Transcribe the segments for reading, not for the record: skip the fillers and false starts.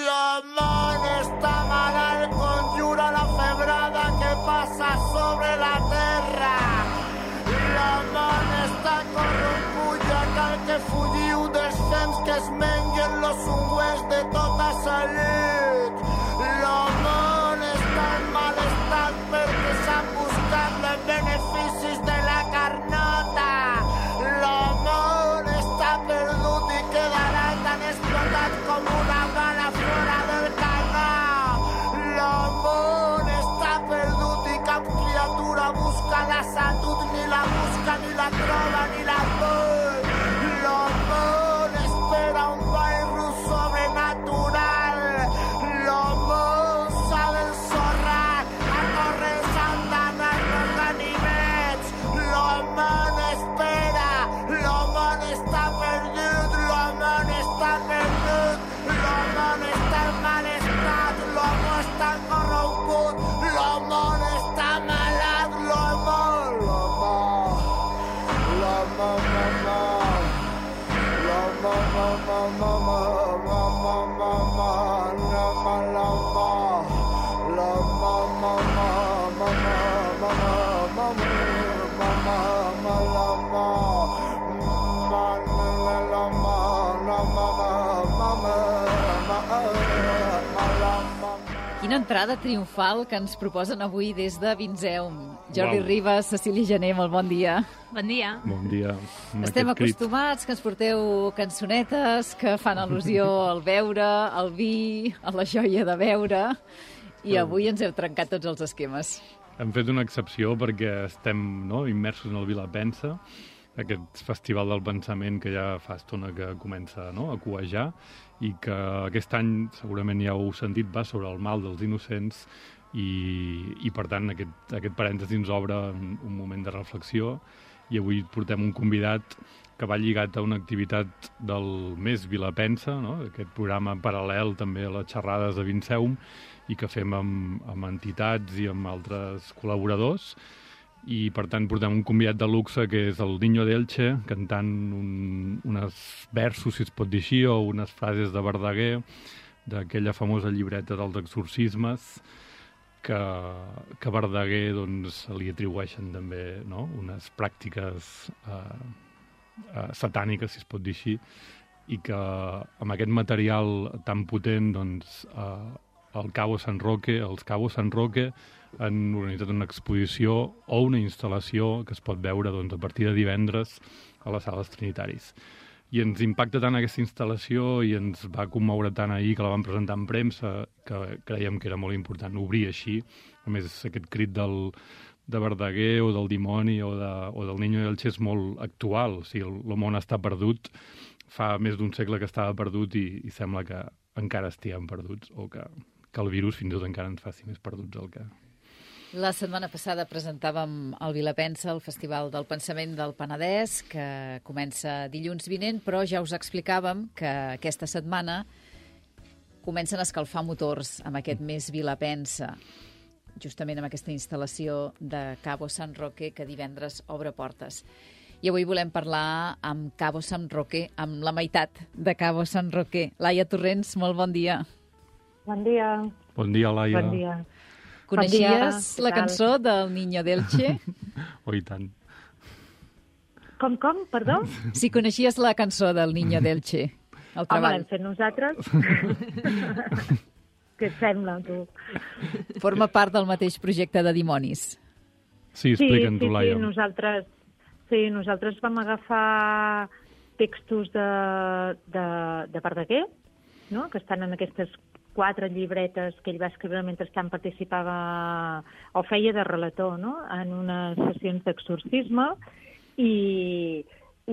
L'amor està malalt, conjura la febrada que passa sobre la terra. L'amor està corromput, ja cal que fugiu dels temps que es menguen los ungüents de tota salut. L'amor està en mal estat perquè s'han buscat els beneficis de la carnota. L'amor està perdut i quedarà tan explotat com una bala fora del canó. L'amor està perdut i cap criatura busca la salut, ni la busca, ni la troba, ni la vol. L'amor espera un ball rus sobrenatural. L'amor s'ha d'ensorrar, a córrer s'andanar els ganivets. L'amor espera, l'amor està perdut, l'amor està perdut, l'amor està en mal estat, l'amor està corromput, l'amor està malat, l'amor, l'amor, Quina entrada triomfal que ens proposen avui des de Vinzeum. Jordi Ribas, Cecília Gené, molt bon dia. Bon dia. Bon dia. Estem acostumats que ens porteu cançonetes que fan al·lusió al beure, al vi, a la joia de beure, i avui ens heu trencat tots els esquemes. Hem fet una excepció perquè estem immersos en el Vilapensa, aquest festival del pensament que ja fa estona que comença a cuejar i que aquest any, segurament ja heu sentit, va sobre el mal dels innocents i per tant, aquest parèntesi ens obre un moment de reflexió i avui portem un convidat que va lligat a una activitat del Mes Vilapensa, aquest programa paral·lel també a les xerrades de Vinzeum i que fem amb entitats i amb altres col·laboradors. I, per tant, portem un convidat de luxe que és el Niño d'Elche, cantant uns versos, si es pot dir així, o unes frases de Verdaguer, d'aquella famosa llibreta dels exorcismes, que Verdaguer li atribueixen també unes pràctiques satàniques, si es pot dir així, i que amb aquest material tan potent, els Cabo San Roque han organitzat una exposició o una instal·lació que es pot veure a partir de divendres a les sales Trinitaris. I ens impacta tant aquesta instal·lació i ens va commoure tant ahir que la vam presentar en premsa que creiem que era molt important obrir així. A més, aquest crit de Verdaguer o del dimoni o del Niño d'Elche és molt actual. O sigui, el món està perdut. Fa més d'un segle que estava perdut i sembla que encara estiguem perduts o que el virus fins i tot encara ens faci més perduts el que... La setmana passada presentàvem el Vilapensa, el Festival del Pensament del Penedès, que comença dilluns vinent, però ja us explicàvem que aquesta setmana comencen a escalfar motors amb aquest Mes Vilapensa, justament amb aquesta instal·lació de Cabo San Roque, que divendres obre portes. I avui volem parlar amb Cabo San Roque, amb la meitat de Cabo San Roque. Laia Torrents, molt bon dia. Bon dia. Bon dia, Laia. Bon dia. Coneixies la cançó del Niño d'Elche? Oh, i tant. Com, perdó? Si coneixies la cançó del Niño d'Elche, el treball. Home, l'hem fet nosaltres. Què et sembla, tu? Forma part del mateix projecte de Dimonis. Sí, explica'ns-ho, Laia. Nosaltres vam agafar textos de Verdaguer, que estan en aquestes 4 llibretes que ell va escriure mentre participava o feia de relator en unes sessions d'exorcisme i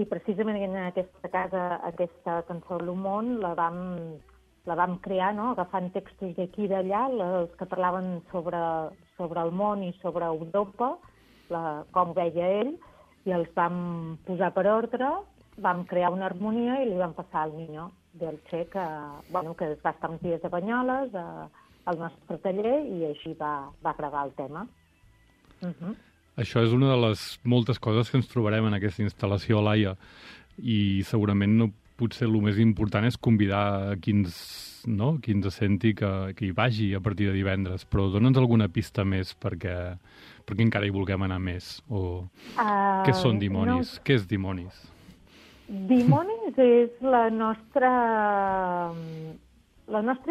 precisament en aquesta casa, aquesta cançó L'Humón, la vam crear agafant textos d'aquí i d'allà, els que parlaven sobre el món i sobre Europa, com veia ell, i els vam posar per ordre, vam crear una harmonia i li vam passar al Niño d'Elche, que es va estar uns dies a Banyoles, al nostre taller, i així va gravar el tema. això és una de les moltes coses que ens trobarem en aquesta instal·lació, Laia, i segurament potser el més important és convidar a qui ens senti que hi vagi a partir de divendres, però dona'ns alguna pista més perquè encara hi vulguem anar més. O què són dimonis? No. Què és dimonis? Dimonis és la nostra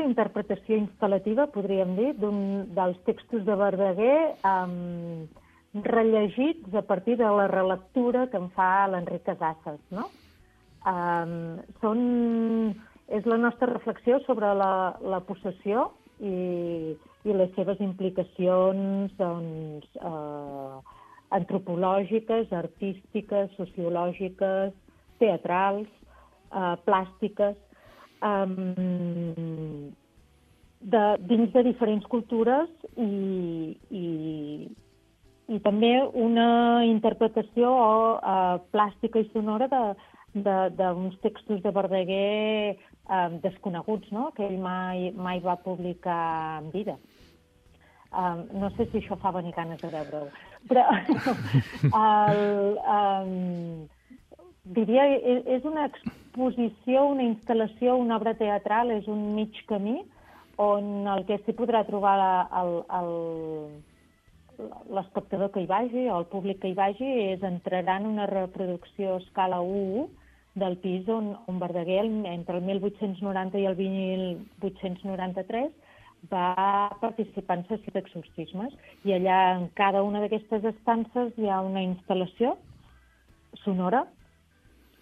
interpretació instal·lativa, podríem dir, dels textos de Verdaguer rellegits a partir de la relectura que en fa l'Enric Casasses, no? És la nostra reflexió sobre la possessió i les seves implicacions antropològiques, artístiques, sociològiques, teatrals, plàstiques, dins de diferents cultures i també una interpretació plàstica i sonora d'uns textos de Verdaguer desconeguts, no? Que ell mai va publicar en vida. No sé si això fa venir ganes de veure-ho, però diria, és una exposició, una instal·lació, una obra teatral, és un mig camí on el que s'hi podrà trobar l'espectador que hi vagi o el públic que hi vagi entrarà en una reproducció a escala 1 del pis on Verdaguer, entre el 1890 i el 1893, va participar en sessió d'exorcismes. I allà, en cada una d'aquestes estances, hi ha una instal·lació sonora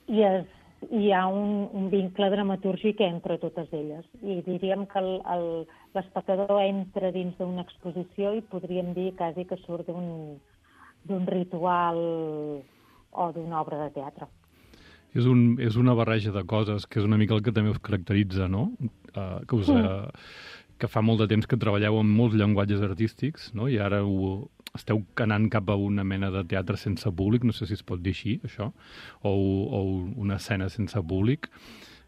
i hi ha un vincle dramatúrgic entre totes elles. I diríem que l'espectador entra dins d'una exposició i podríem dir quasi que surt d'un ritual o d'una obra de teatre. És una barreja de coses, que és una mica el que també us caracteritza, no? Que fa molt de temps que treballeu amb molts llenguatges artístics, no? I ara esteu anant cap a una mena de teatre sense públic, no sé si es pot dir així, això, o una escena sense públic,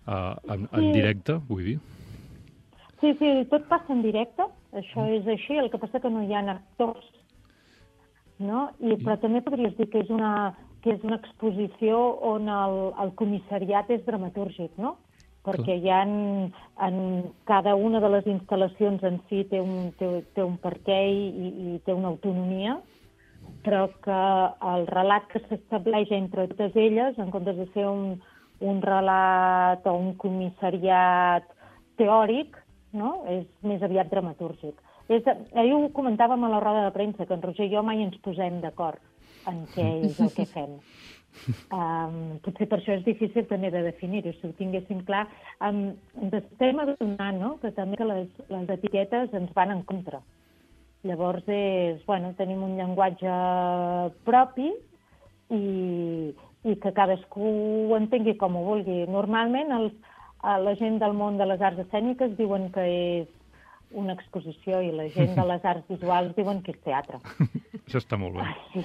en directe, vull dir. Sí, tot passa en directe, això és així, el que passa que no hi ha actors, no? Però també podries dir que és una exposició on el comissariat és dramatúrgic, no? Perquè hi ha en cada una de les instal·lacions en si té un perquè i té una autonomia, però que el relat que s'estableix entre totes elles, en comptes de ser un relat o un comissariat teòric, no? És més aviat dramatúrgic. Ahir ho comentàvem a la roda de premsa, que en Roger i jo mai ens posem d'acord en què és el que fem. Potser per això és difícil també de definir-ho, si ho tinguéssim clar. Ens estem adonant, no?, que també que les etiquetes ens van en contra. Llavors, tenim un llenguatge propi i que cadascú ho entengui com ho vulgui. Normalment, la gent del món de les arts escèniques diuen que és una exposició i la gent de les arts visuals diuen que és teatre. Això està molt bé. Sí.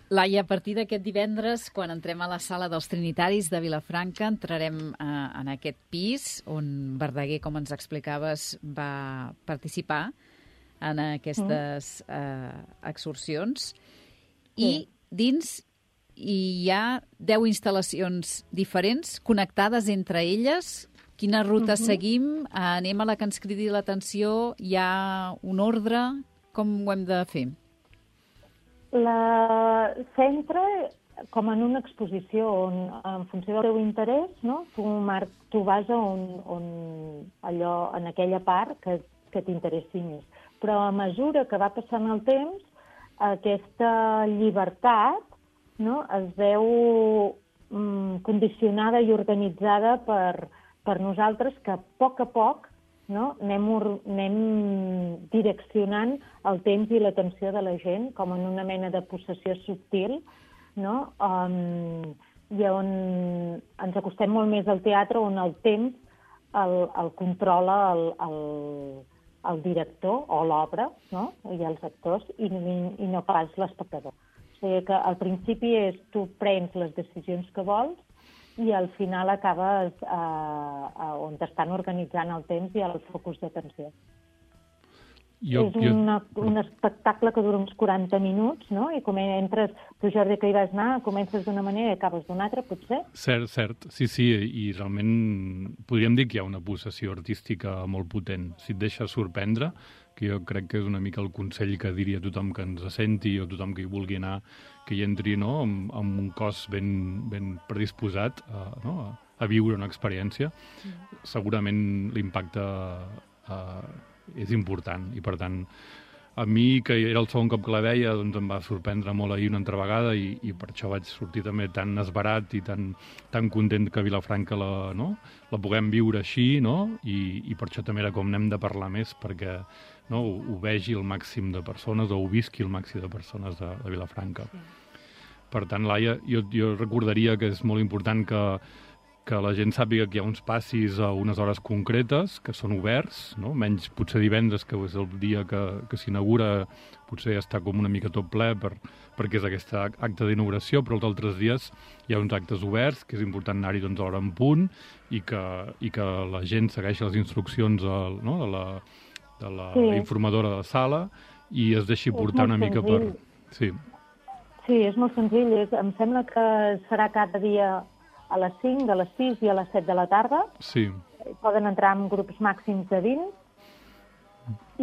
Laia, a partir d'aquest divendres, quan entrem a la sala dels Trinitaris de Vilafranca, entrarem en aquest pis on Verdaguer, com ens explicaves, va participar en aquestes exorcions. I dins hi ha 10 instal·lacions diferents, connectades entre elles. Quina ruta seguim? Anem a la que ens cridi l'atenció? Hi ha un ordre? Com ho hem de fer? S'entra com en una exposició on, en funció del teu interès, no? Tu vas en aquella part que t'interessi més. Però a mesura que va passant el temps, aquesta llibertat, no?, es veu condicionada i organitzada per nosaltres, que a poc, no?, anem direccionant el temps i l'atenció de la gent com en una mena de possessió subtil, no?, i on ens acostem molt més al teatre, on el temps el controla el director o l'obra, no?, i els actors, i no pas l'espectador. O sigui que al principi tu prens les decisions que vols i al final acabes on t'estan organitzant el temps i el focus d'atenció. un espectacle que dura uns 40 minuts, no? I com entres, tu, Jordi, que hi vas anar, comences d'una manera i acabes d'una altra, potser? Cert. Sí, i realment podríem dir que hi ha una possessió artística molt potent. Si et deixa sorprendre, que jo crec que és una mica el consell que diria tothom que ens senti o tothom que hi vulgui anar, que hi entri, no?, amb un cos ben predisposat a viure una experiència. Segurament l'impacte és important i, per tant, a mi, que era el segon cop que la veia, doncs em va sorprendre molt ahir una altra vegada i per això vaig sortir també tan esverat i tan content que a Vilafranca la puguem viure així, no? I per això també era com n'hem de parlar més, perquè ho vegi el màxim de persones o ho visqui el màxim de persones de Vilafranca. Sí. Per tant, Laia, jo recordaria que és molt important que la gent sàpiga que hi ha uns passis a unes hores concretes, que són oberts, no? Menys potser divendres, que és el dia que s'inaugura, potser està com una mica tot ple perquè és aquest acte d'inauguració, però els altres dies hi ha uns actes oberts, que és important anar-hi a l'hora en punt, i que la gent segueixi les instruccions de la informadora de la sala i es deixi portar una mica per... Sí, és molt senzill. Em sembla que serà cada dia a les 5, de les 6 i a les 7 de la tarda. Sí. Poden entrar en grups màxims de 20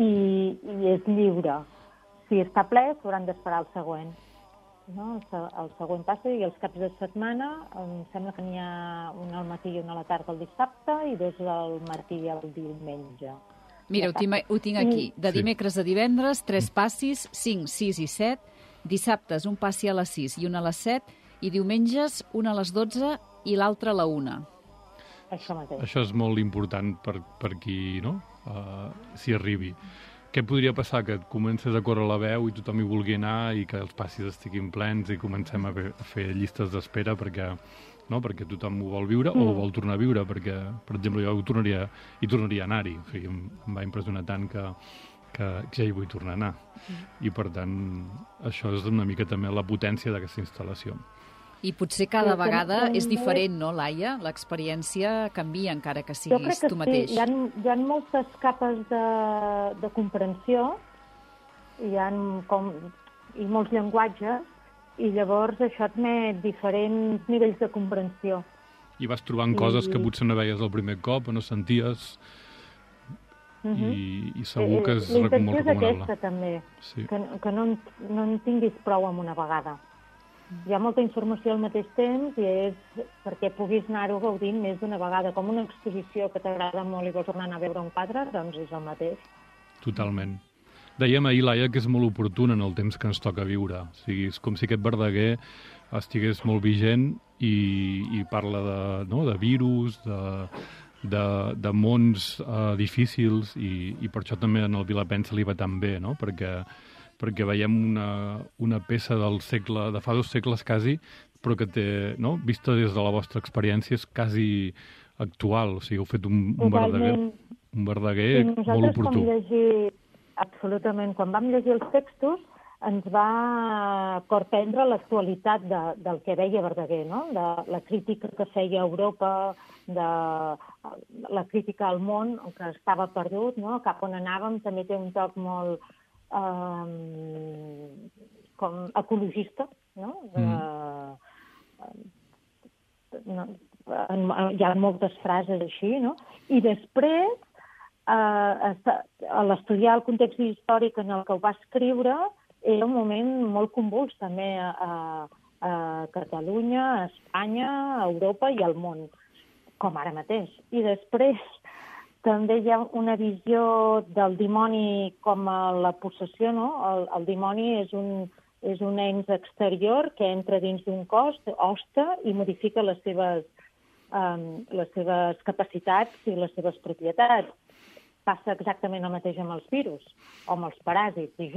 i és lliure. Si està ple, s'hauran d'esperar el següent. No? El següent passa, i els caps de setmana em sembla que n'hi ha un al matí i un a la tarda el dissabte i dos al matí i el diumenge. Mira, ho tinc aquí. De dimecres a divendres, 3 passis, 5, 6 i 7. Dissabtes, un passi a les 6 i un a les 7. I diumenges, un a les 12 i l'altre a la 1. Això mateix. Això és molt important per qui s'hi arribi. Què podria passar? Que comences a córrer la veu i tothom hi vulgui anar i que els passis estiguin plens i comencem a fer llistes d'espera perquè tothom ho vol viure o ho vol tornar a viure, perquè, per exemple, jo tornaria a anar-hi. O sigui, em va impressionar tant que ja hi vull tornar a anar. I, per tant, això és una mica també la potència d'aquesta instal·lació. I potser cada vegada és diferent, no, Laia? L'experiència canvia, encara que siguis tu mateix. Jo crec que sí. Hi ha moltes capes de comprensió, i molts llenguatges, i llavors això admet diferents nivells de comprensió. I vas trobant coses que potser no veies el primer cop o no senties, i segur que és molt recomanable. La intenció és aquesta, també, que no en tinguis prou amb una vegada. Hi ha molta informació al mateix temps i és perquè puguis anar-ho gaudint més d'una vegada. Com una exposició que t'agrada molt i vols tornar a veure un quadre, doncs és el mateix. Totalment. Dèiem ahir, Laia, que és molt oportuna en el temps que ens toca viure. O sigui, és com si aquest Verdaguer estigués molt vigent i parla de virus, de mons difícils, i per això també en el Vilapensa li va tan bé, no? Perquè veiem una peça del segle, de fa 2 segles quasi, però que té, vista des de la vostra experiència, és quasi actual. O sigui, heu fet un Verdaguer molt oportú. Absolutament. Quan vam llegir els textos, ens va corprendre l'actualitat del que veia Verdaguer, no? De la crítica que feia a Europa, de la crítica al món, que estava perdut, no? Cap on anàvem, també té un toc molt com ecologista, no? Hi ha moltes frases així, no? I després, a l'estudiar el context històric en el que ho va escriure, era un moment molt convuls també a Catalunya, a Espanya, a Europa i al món, com ara mateix. I després també hi ha una visió del dimoni com a la possessió, no? El dimoni és un ens exterior que entra dins d'un cos, hosta, i modifica les seves capacitats i les seves propietats. Passa exactament el mateix amb els virus o amb els paràsits. I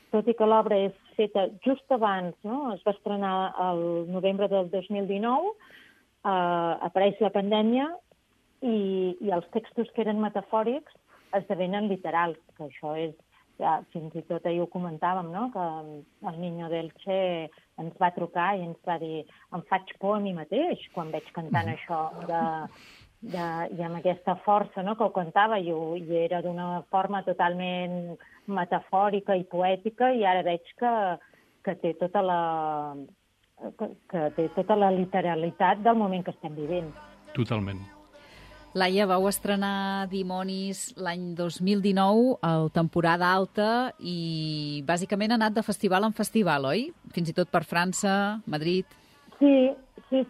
tot i que l'obra és feta just abans, no? Es va estrenar el novembre del 2019, apareix la pandèmia i els textos que eren metafòrics esdevenen literals, que això és, ja, fins i tot ahir ho comentàvem, no? Que el Niño d'Elche ens va trucar i ens va dir: em faig por a mi mateix quan veig cantant això i amb aquesta força, no?, que ho cantava, i era d'una forma totalment metafòrica i poètica, i ara veig que té tota la literalitat del moment que estem vivint. Totalment. Laia, vau estrenar Dimonis l'any 2019, al temporada alta, i bàsicament ha anat de festival en festival, oi? Fins i tot per França, Madrid... Sí. Hi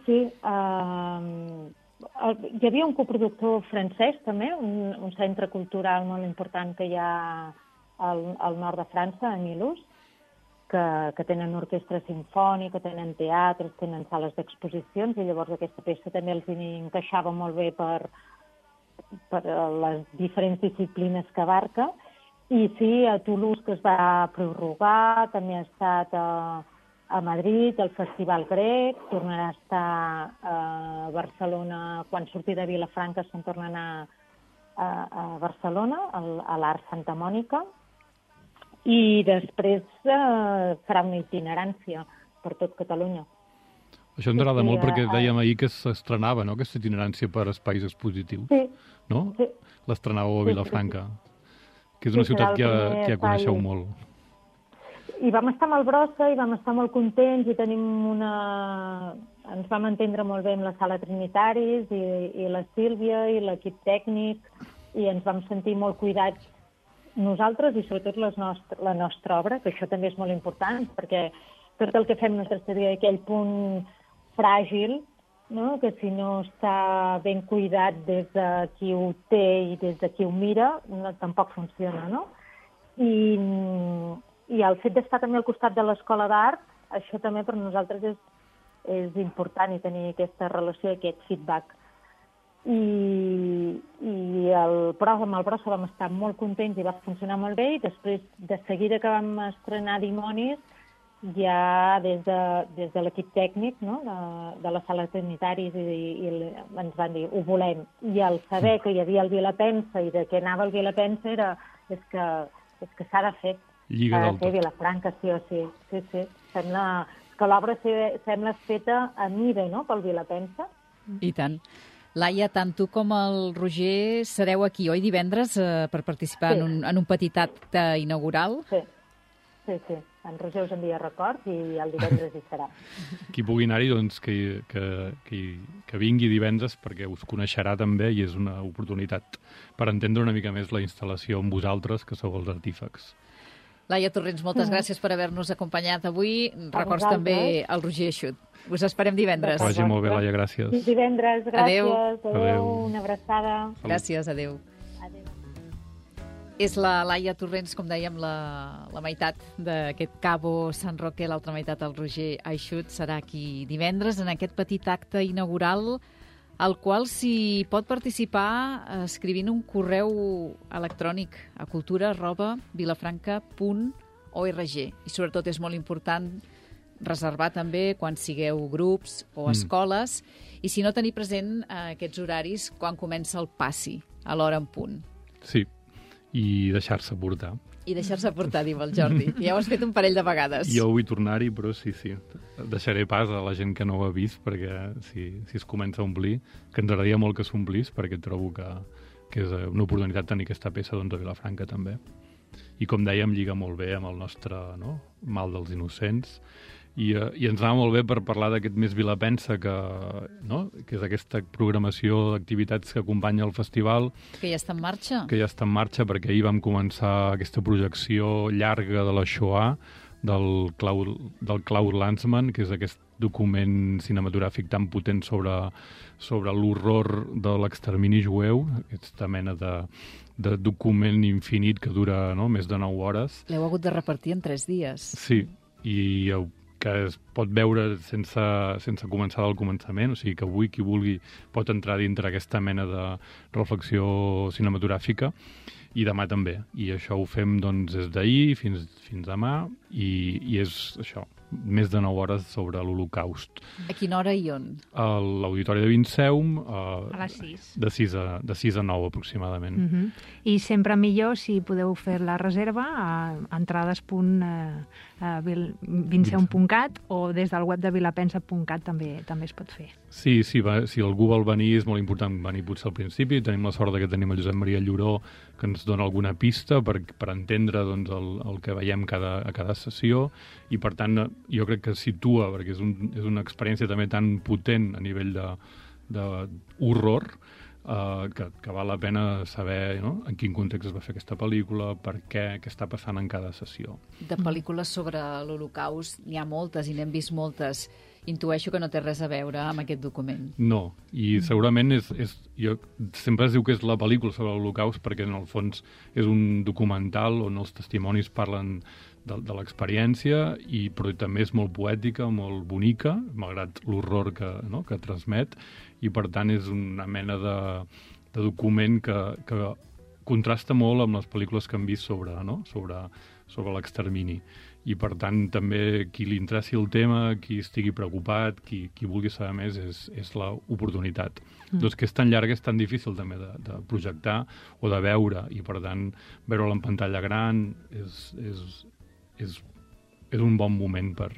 havia un coproductor francès, també, un centre cultural molt important que hi ha al nord de França, a Mulhouse, que tenen orquestra sinfònica, tenen teatres, tenen sales d'exposicions, i llavors aquesta peça també els encaixava molt bé per les diferents disciplines que abarca. I sí, a Toulouse, que es va prorrogar, també ha estat a Madrid, al Festival Grec, tornarà a estar a Barcelona, quan surti de Vilafranca se'n torna a anar a Barcelona, a l'Art Santa Mònica, i després farà una itinerància per tot Catalunya. Això ens agrada molt perquè dèiem ahir que s'estrenava, no?, aquesta itinerància per espais expositius. Sí. No? Sí. L'estrenàveu a Vilafranca, que és una ciutat que ja coneixeu molt. I vam estar amb el Brossa i vam estar molt contents i ens vam entendre molt bé amb la Sala Trinitaris i la Sílvia i l'equip tècnic, i ens vam sentir molt cuidats nosaltres i sobretot la nostra obra, que això també és molt important, perquè tot el que fem nosaltres seria aquell punt fràgil, no?, que si no està ben cuidat des de qui ho té i des de qui ho mira, tampoc funciona, no? I el fet d'estar també al costat de l'Escola d'Art, això també per nosaltres és important, i tenir aquesta relació, aquest feedback. I amb el Brossa vam estar molt contents i va funcionar molt bé, i després, de seguida que vam estrenar Dimonis, ja des de l'equip tècnic, no?, de la Sala Trinitaris, i ens van dir, ho volem. I al saber que hi havia el Vilapensa i de què anava el Vilapensa és que s'ha de fer. Lliga del tot. Vilafranca, sí o sí. Sí. Sembla que l'obra sembla feta a mida, no?, pel Vilapensa. I tant. Laia, tant tu com el Roger sereu aquí, oi, divendres, per participar en un petit acte inaugural? Sí. En Roger us envia records i el divendres hi serà. Qui pugui anar-hi, doncs, que vingui divendres, perquè us coneixerà també, i és una oportunitat per entendre una mica més la instal·lació amb vosaltres, que sou els artífecs. Laia Torrents, moltes gràcies per haver-nos acompanyat avui. Records també al Roger Eixut. Us esperem divendres. Vagi molt bé, Laia, gràcies. Divendres, gràcies. Adéu. Una abraçada. Gràcies, adéu. És la Laia Torrents, com dèiem, la meitat d'aquest Cabo San Roque, l'altra meitat el Roger Eixut, serà aquí divendres en aquest petit acte inaugural, al qual s'hi pot participar escrivint un correu electrònic a cultura@vilafranca.org. I sobretot és molt important reservar també quan sigueu grups o escoles, i si no, tenir present aquests horaris quan comença el passi, a l'hora en punt. Sí, i deixar-se portar. I deixar-se portar, diu el Jordi. Ja ho has fet un parell de vegades. Jo vull tornar-hi, però sí. Deixaré pas a la gent que no ho ha vist, perquè si es comença a omplir, que ens agradaria molt que s'omplís, perquè trobo que és una oportunitat tenir aquesta peça, doncs, a Vilafranca també. I com dèiem, lliga molt bé amb el nostre mal dels innocents, i ens anava molt bé per parlar d'aquest Més Vilapensa, que és aquesta programació d'activitats que acompanya el festival. Que ja està en marxa. Que ja està en marxa, perquè ahir vam començar aquesta projecció llarga de la Shoah, del Claude Lanzmann, que és aquest document cinematogràfic tan potent sobre l'horror de l'extermini jueu, aquesta mena de document infinit que dura més de 9 hores. L'heu hagut de repartir en 3 dies. Sí, i que es pot veure sense començar del començament, o sigui que avui qui vulgui pot entrar dintre aquesta mena de reflexió cinematogràfica, i demà també. I això ho fem doncs des d'ahir fins demà, i és això, més de 9 hores sobre l'Holocaust. A quina hora i on? A l'Auditori de Vinceum, a les 6. De 6 a 9 aproximadament. I sempre millor si podeu fer la reserva a entrades.vilafranca.org. vinceum.cat, o des del web de vilapensa.cat també es pot fer. Sí, si algú vol venir, és molt important venir potser al principi. Tenim la sort que tenim el Josep Maria Lloró, que ens dona alguna pista per entendre doncs, el que veiem a cada sessió, i per tant jo crec que situa, perquè és una experiència també tan potent a nivell d'horror, que val la pena saber, no?, en quin context es va fer aquesta pel·lícula, per què està passant en cada sessió. De pel·lícules sobre l'Holocaust n'hi ha moltes i n'hem vist moltes. Intueixo que no té res a veure amb aquest document. No, i segurament sempre es diu que és la pel·lícula sobre l'Holocaust perquè en el fons és un documental on els testimonis parlen de l'experiència, però també és molt poètica, molt bonica, malgrat l'horror que transmet, i per tant és una mena de document que contrasta molt amb les pel·lícules que hem vist sobre l'extermini. I per tant també qui li interessi el tema, qui estigui preocupat, qui vulgui saber més, és l'oportunitat. Doncs que és tan llarga, és tan difícil també de projectar o de veure, i per tant veure-la en pantalla gran és un bon moment per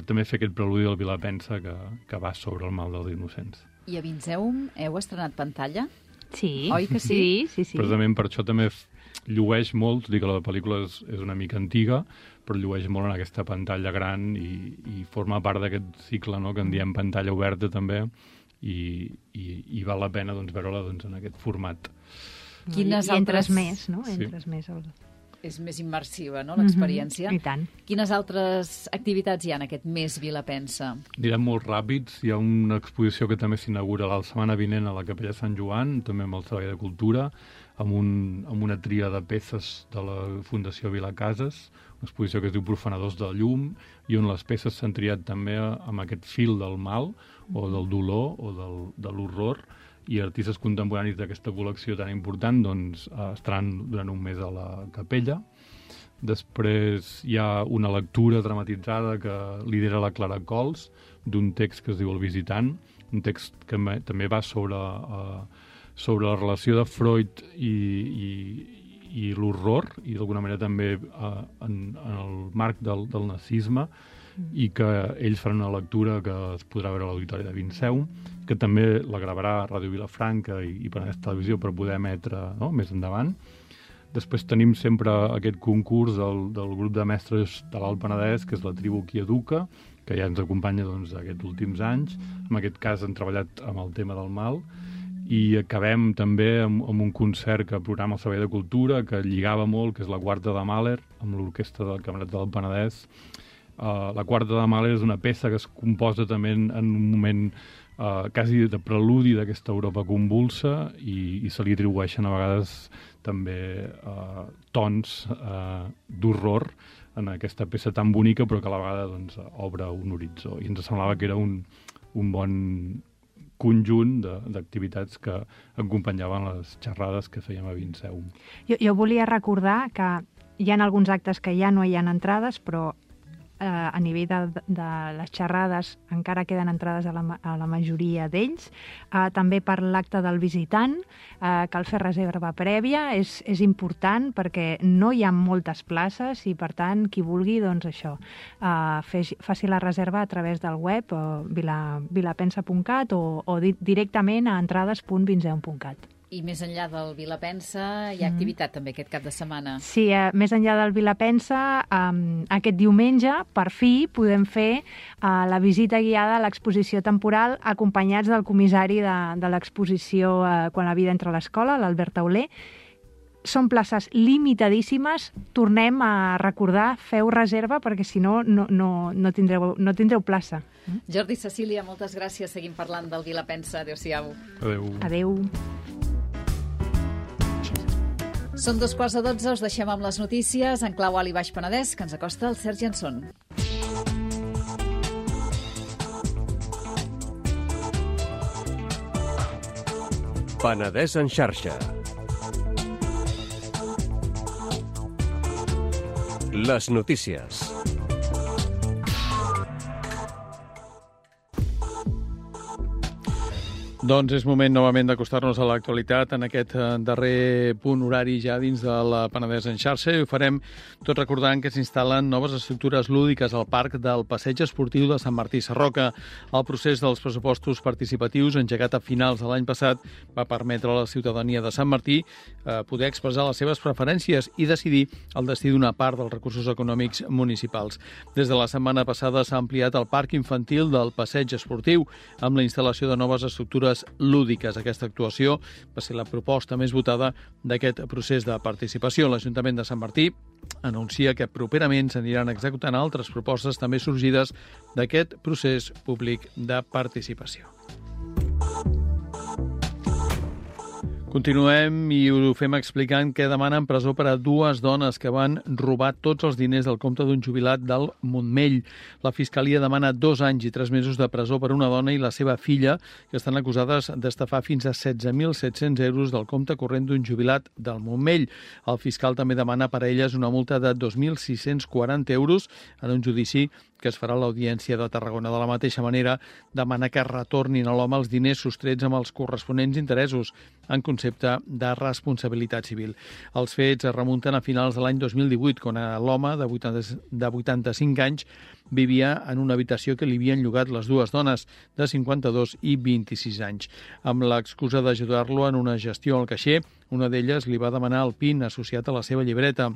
també fer aquest preludi del Vilapensa que va sobre el mal dels innocents. I a Vinceum heu estrenat pantalla? Sí. Oi que sí? Sí. Precisament per això també llueix molt, dic que la pel·lícula és una mica antiga, però llueix molt en aquesta pantalla gran i forma part d'aquest cicle, no?, que en diem pantalla oberta també, i val la pena veure-la en aquest format. I entres més, no? Entres més al... És més immersiva, no?, l'experiència. I tant. Quines altres activitats hi ha en aquest mes Vilapensa? Anirem molt ràpids. Hi ha una exposició que també s'inaugura la setmana vinent a la Capella Sant Joan, també amb el Servei de Cultura, amb una tria de peces de la Fundació Vilacases, una exposició que es diu Profanadors del Llum, i on les peces s'han triat també amb aquest fil del mal, o del dolor, o de l'horror, i artistes contemporanis d'aquesta col·lecció tan important estaran durant un mes a la capella. Després hi ha una lectura dramatitzada que lidera la Clara Cols, d'un text que es diu El visitant, un text que també va sobre la relació de Freud i l'horror, i d'alguna manera també en el marc del nazisme, i que ells faran una lectura que es podrà veure a l'Auditori de Vinceum, que també la gravarà Ràdio Vilafranca i Penedès Televisió per poder emetre, no?, més endavant. Després tenim sempre aquest concurs del grup de mestres de l'Alt Penedès, que és la Tribu Qui Educa, que ja ens acompanya aquests últims anys. En aquest cas han treballat amb el tema del mal, i acabem també amb un concert que programa el Servei de Cultura, que lligava molt, que és la Quarta de Mahler, amb l'orquestra del Camerat del Penedès. La Quarta de Mahler és una peça que es composa també en un moment quasi de preludi d'aquesta Europa convulsa, i se li atribueixen a vegades també tons d'horror en aquesta peça tan bonica, però que a la vegada obre un horitzó. I ens semblava que era un bon conjunt d'activitats que acompanyaven les xerrades que fèiem a Vinceum. Jo volia recordar que hi ha alguns actes que ja no hi ha entrades, però a nivell de les xerrades encara queden entrades a la majoria d'ells. També per l'acte del visitant cal fer reserva prèvia, és important perquè no hi ha moltes places, i per tant qui vulgui, doncs això, faci la reserva a través del web vilapensa.cat o directament a entrades.vinceum.cat. I més enllà del Vilapensa hi ha activitat també aquest cap de setmana. Sí, més enllà del Vilapensa, aquest diumenge, per fi, podem fer la visita guiada a l'exposició temporal acompanyats del comissari de l'exposició Quan la vida entra a l'escola, l'Albert Tauler. Són places limitadíssimes. Tornem a recordar, feu reserva, perquè si no tindreu plaça. Jordi, Cecília, moltes gràcies. Seguim parlant del Vilapensa. Adéu-siau. Adéu. Són 2:15, us deixem amb les notícies en clau alt i baix Penedès, que ens acosta el Sergi Anson. Penedès en xarxa. Les notícies. Doncs és moment novament d'acostar-nos a l'actualitat en aquest darrer punt horari ja dins del Penedès en xarxa i ho farem tot recordant que s'instal·len noves estructures lúdiques al parc del Passeig Esportiu de Sant Martí Sarroca. El procés dels pressupostos participatius engegat a finals de l'any passat va permetre a la ciutadania de Sant Martí poder expressar les seves preferències i decidir el destí d'una part dels recursos econòmics municipals. Des de la setmana passada s'ha ampliat el parc infantil del Passeig Esportiu amb la instal·lació de noves estructures lúdiques. Aquesta actuació va ser la proposta més votada d'aquest procés de participació. L'Ajuntament de Sant Martí anuncia que properament s'aniran executant altres propostes també sorgides d'aquest procés públic de participació. Continuem i ho fem explicant que demanen presó per a dues dones que van robar tots els diners del compte d'un jubilat del Montmell. La Fiscalia demana 2 anys i 3 mesos de presó per una dona i la seva filla, que estan acusades d'estafar fins a 16.700 euros del compte corrent d'un jubilat del Montmell. El fiscal també demana per a elles una multa de 2.640 euros en un judici que es farà a l'Audiència de Tarragona. De la mateixa manera, demana que retornin a l'home els diners sostrets amb els corresponents interessos en concepte de responsabilitat civil. Els fets es remunten a finals de l'any 2018, quan l'home de 85 anys vivia en una habitació que li havien llogat les dues dones, de 52 i 26 anys. Amb l'excusa d'ajudar-lo en una gestió al caixer, una d'elles li va demanar el PIN associat a la seva llibreta.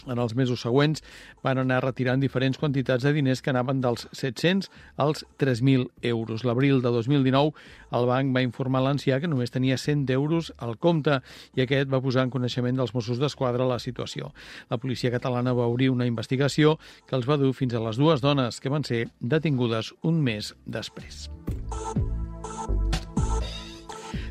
En els mesos següents van anar retirant diferents quantitats de diners que anaven dels 700 als 3.000 euros. L'abril de 2019 el banc va informar a l'ancià que només tenia 100 euros al compte i aquest va posar en coneixement dels Mossos d'Esquadra la situació. La policia catalana va obrir una investigació que els va dur fins a les dues dones que van ser detingudes un mes després.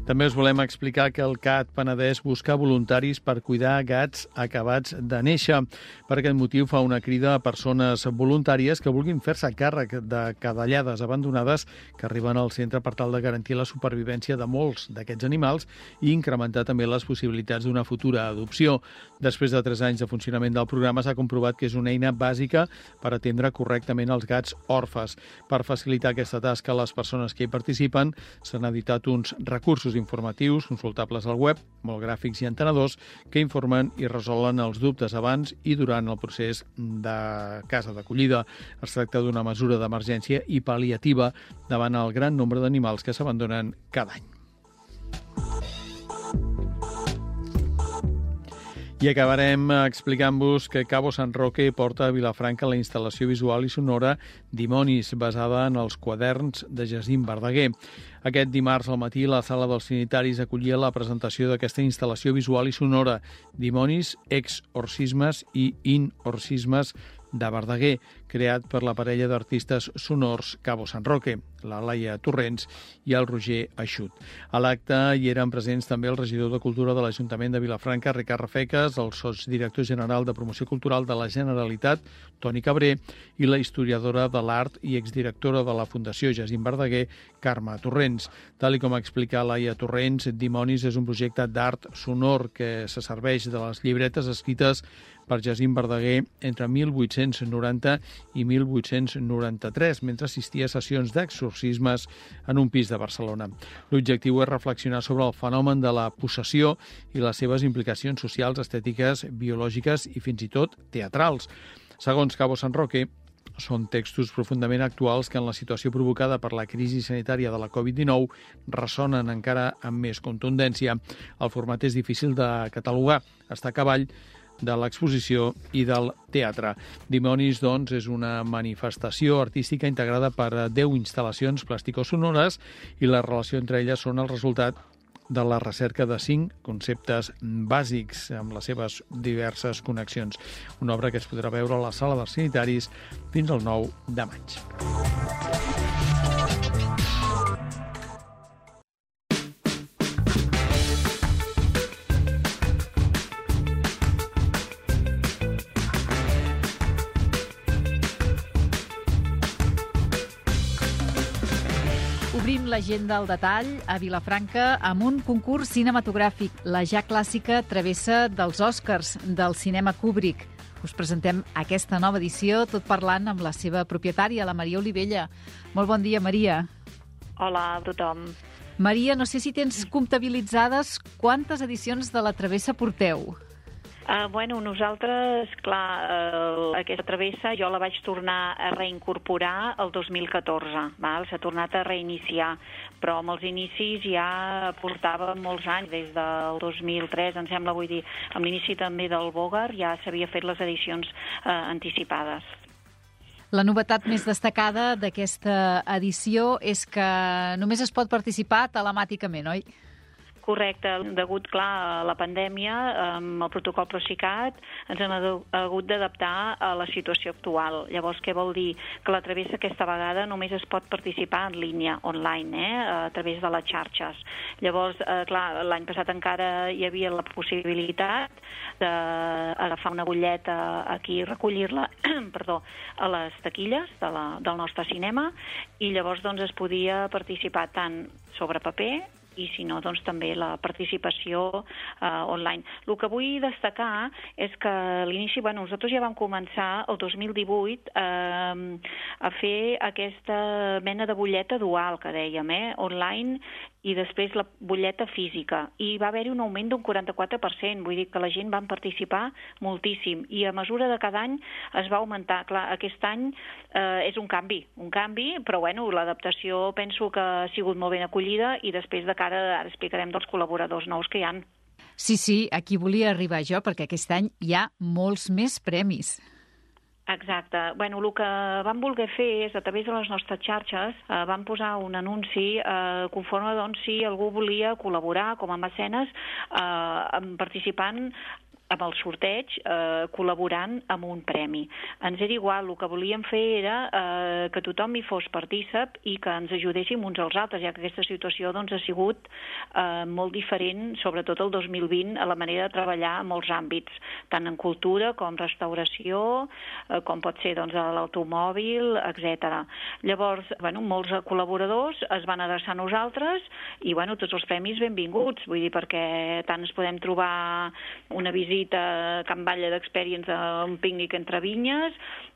També us volem explicar que el CAT Penedès busca voluntaris per cuidar gats acabats de néixer. Per aquest motiu fa una crida a persones voluntàries que vulguin fer-se càrrec de cadellades abandonades que arriben al centre per tal de garantir la supervivència de molts d'aquests animals i incrementar també les possibilitats d'una futura adopció. Després de 3 anys de funcionament del programa s'ha comprovat que és una eina bàsica per atendre correctament els gats orfes. Per facilitar aquesta tasca a les persones que hi participen s'han editat uns recursos informatius consultables al web, molt gràfics i entenedors, que informen i resolen els dubtes abans i durant el procés de casa d'acollida. Es tracta d'una mesura d'emergència i pal·liativa davant el gran nombre d'animals que s'abandonen cada any. I acabarem explicant-vos que Cabo San Roque porta a Vilafranca la instal·lació visual i sonora Dimonis, basada en els quaderns de Jacint Verdaguer. Aquest dimarts al matí la Sala dels Sanitaris acollia la presentació d'aquesta instal·lació visual i sonora Dimonis, exorcismes i inorcismes de Verdaguer, creat per la parella d'artistes sonors Cabo San Roque, la Laia Torrents i el Roger Aixut. A l'acte hi eren presents també el regidor de Cultura de l'Ajuntament de Vilafranca, Ricard Rafeques, el sotsdirector general de Promoció Cultural de la Generalitat, Toni Cabré, i la historiadora de l'art i exdirectora de la Fundació Jacint Verdaguer, Carme Torrents. Tal com explica Laia Torrents, Dimonis és un projecte d'art sonor que se serveix de les llibretes escrites per Jacint Verdaguer entre 1890 i 1893, mentre assistia a sessions d'exorcismes en un pis de Barcelona. L'objectiu és reflexionar sobre el fenomen de la possessió i les seves implicacions socials, estètiques, biològiques i fins i tot teatrals. Segons Cabo San Roque, són textos profundament actuals que en la situació provocada per la crisi sanitària de la Covid-19 ressonen encara amb més contundència. El format és difícil de catalogar, està a cavall de l'exposició i del teatre. Dimonis, doncs, és una manifestació artística integrada per 10 instal·lacions plàstico-sonores i la relació entre elles són el resultat de la recerca de 5 conceptes bàsics amb les seves diverses connexions. Una obra que es podrà veure a la Sala dels Sanitaris fins al 9 de maig. Obrim l'agenda al detall a Vilafranca amb un concurs cinematogràfic, la ja clàssica travessa dels Oscars del cinema Kubrick. Us presentem aquesta nova edició, tot parlant amb la seva propietària, la Maria Olivella. Molt bon dia, Maria. Hola a tothom. Maria, no sé si tens comptabilitzades quantes edicions de la Travessa porteu. Nosaltres, clar, aquesta travessa jo la vaig tornar a reincorporar el 2014, val? S'ha tornat a reiniciar, però amb els inicis ja portava molts anys, des del 2003, em sembla, vull dir, amb l'inici també del Bogart ja s'havia fet les edicions anticipades. La novetat més destacada d'aquesta edició és que només es pot participar telemàticament, oi? Correcte. Degut, clar, a la pandèmia, amb el protocol Procicat, ens hem hagut d'adaptar a la situació actual. Llavors, què vol dir? Que la travessa aquesta vegada només es pot participar en línia, online, a través de les xarxes. Llavors, clar, l'any passat encara hi havia la possibilitat d'agafar una butlleta aquí i recollir-la a les taquilles del nostre cinema, i llavors doncs, es podia participar tant sobre paper i si no, doncs també la participació online. El que vull destacar és que a l'inici, nosaltres ja vam començar el 2018 a fer aquesta mena de butlleta dual que dèiem, online, i després la butlleta física. I va haver-hi un augment d'un 44%, vull dir que la gent va participar moltíssim, i a mesura de cada any es va augmentar. Clar, aquest any és un canvi, però l'adaptació penso que ha sigut molt ben acollida, i després de cara, ara explicarem dels col·laboradors nous que hi ha. Sí, aquí volia arribar jo, perquè aquest any hi ha molts més premis. Exacte. El que vam voler fer és, a través de les nostres xarxes, vam posar un anunci conforme si algú volia col·laborar com a mecenes participant amb el sorteig, col·laborant amb un premi. Ens era igual, el que volíem fer era que tothom hi fos partícip i que ens ajudéssim uns als altres, ja que aquesta situació ha sigut molt diferent, sobretot el 2020, a la manera de treballar en molts àmbits, tant en cultura com restauració, com pot ser l'automòbil, etc. Llavors, molts col·laboradors es van adreçar a nosaltres i tots els premis benvinguts, vull dir, perquè tant ens podem trobar una visita a Can Batlle d'Experience, un pícnic entre vinyes,